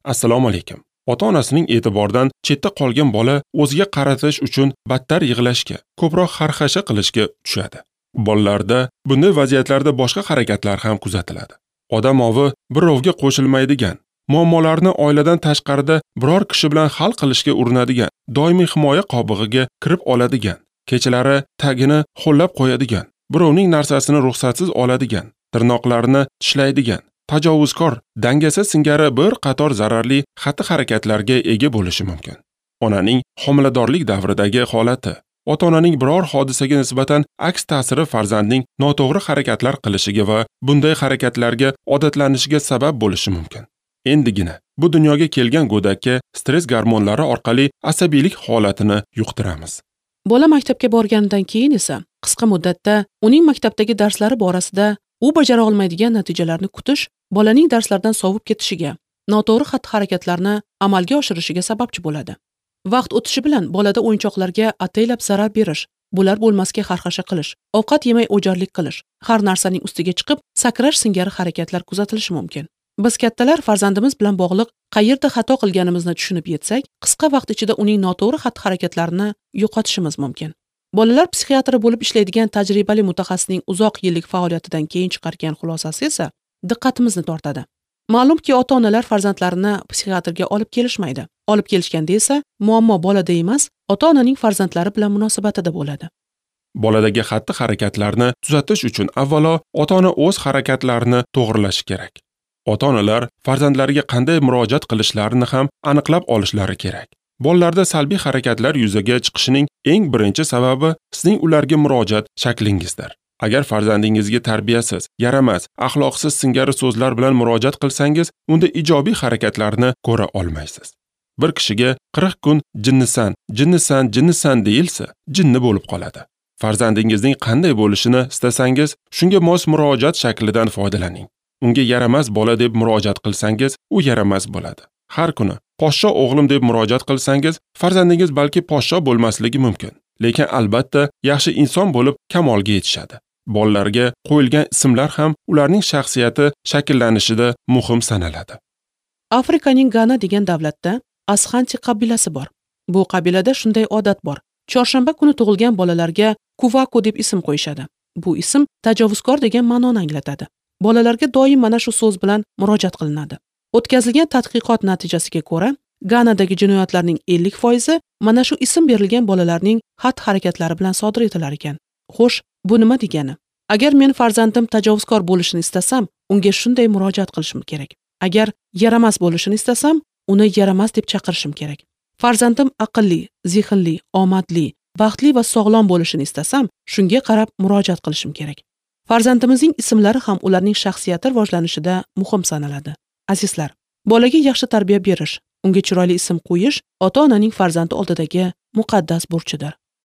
Assalomu alaykum. Ota-onasining e'tiboridan chetda qolgan bola o'ziga qaratish uchun battar yig'lashga, ko'proq xarxasha qilishga tushadi. Bolalarda bunday vaziyatlarda boshqa harakatlar ham kuzatiladi. Odam ovi birovga qo'shilmaydigan, muammolarni oiladan tashqarida biror kishi bilan hal qilishga urinadigan, doimiy himoya qobig'iga kirib oladigan, kechalari tagini ho'llab qo'yadigan, birovning narsasini ruxsatsiz oladigan, tirnoqlarini tishlaydigan, tajovuzkor, dangasa singari bir qator zararli xatti-harakatlarga ega bo'lishi mumkin. Onaning homiladorlik davridagi holati, ota-onaning biror hodisaga nisbatan aks ta'siri farzandning noto'g'ri harakatlar qilishiga va bunday harakatlarga odatlanishiga sabab bo'lishi mumkin. Endigina bu dunyoga kelgan go'dakka stress gormonlari orqali asabiylik holatini yuqtiramiz. Bola maktabga borganidan keyin esa qisqa muddatda uning maktabdagi darslari borasida u bajara olmaydigan natijalarni kutish bolaning darslardan sovib ketishiga, noto'g'ri xatti-harakatlarni amalga oshirishiga sababchi bo'ladi. Vaqt o'tishi bilan bolada o'yinchoqlarga ataylab zarar berish, bular bo'lmasga xarxasha qilish, ovqat yemay o'jarlik qilish, har narsaning ustiga chiqib sakrash singari harakatlar kuzatilishi mumkin. Biz kattalar farzandimiz bilan bog'liq qayerda xato qilganimizni tushunib yetsak, qisqa vaqt ichida uning noto'g'ri xatti-harakatlarini yo'qotishimiz mumkin. Bolalar psixiatri bo'lib ishlaydigan tajribali mutaxassisning uzoq yillik faoliyatidan keyin chiqargan xulosasi esa diqqatimizni tortadi. Ma'lumki, ota-onalar farzandlarini psixiatrga olib kelishmaydi. Olib kelishganda esa muammo bolada emas, ota-onaning farzandlari bilan munosabatida bo'ladi. Boladagi xatti-harakatlarni tuzatish uchun avvalo ota-ona o'z harakatlarini to'g'rilashi kerak. Ota-onalar farzandlariga qanday murojaat qilishlarini ham aniqlab olishlari kerak. Bolalarda salbiy harakatlar yuzaga chiqishining eng birinchi sababi sizning ularga murojaat shaklingizdir. Agar farzandingizga tarbiyasiz, yaramas, axloqsiz singari so'zlar bilan murojaat qilsangiz, unda ijobiy harakatlarni ko'ra olmaysiz. Bir kishiga 40 kun jinnisan, jinnisan, jinnisan deyilsa, jinni bo'lib qoladi. Farzandingizning qanday bo'lishini istasangiz, shunga mos murojaat shaklidan foydalaning. Unga yaramas bola deb murojaat qilsangiz, u yaramas bo'ladi. Har kuni poshsho o'g'lim deb murojaat qilsangiz, farzandingiz balki poshsho bo'lmasligi mumkin, lekin albatta yaxshi inson bo'lib kamolga yetishadi. Bolalarga qo'yilgan ismlar ham ularning shaxsiyati shakllanishida muhim sanaladi. Afrikaning Gana degan davlatda Ashanti qabilasi bor. Bu qabilada shunday odat bor. Chorshanba kuni tug'ilgan bolalarga Kuvako deb ism qo'yishadi. Bu ism tajovuzkor degan ma'noni anglatadi. Bolalarga doim mana shu so'z bilan murojaat qilinadi. O'tkazilgan tadqiqot natijasiga ko'ra, Ganadagi jinoyatlarning 50% mana shu ism berilgan bolalarning xatti-harakatlari bilan sodir etilar ekan. Xo'sh, bu nima degani? Agar men farzandim tajovuzkor bo'lishini istasam, unga shunday murojaat qilishim kerak. Agar yaramas bo'lishini istasam, uni yaramas deb chaqirishim kerak. Farzandim aqlli, zehnli, omadli, baxtli va sog'lom bo'lishini istasam, shunga qarab murojaat qilishim kerak. Farzandimizning ismlari ham ularning shaxsiyati rivojlanishida muhim sanaladi. Azizlar, bolaga yaxshi tarbiya berish, unga chiroyli ism qo'yish ota-onaning farzandi oldidagi muqaddas burchidir.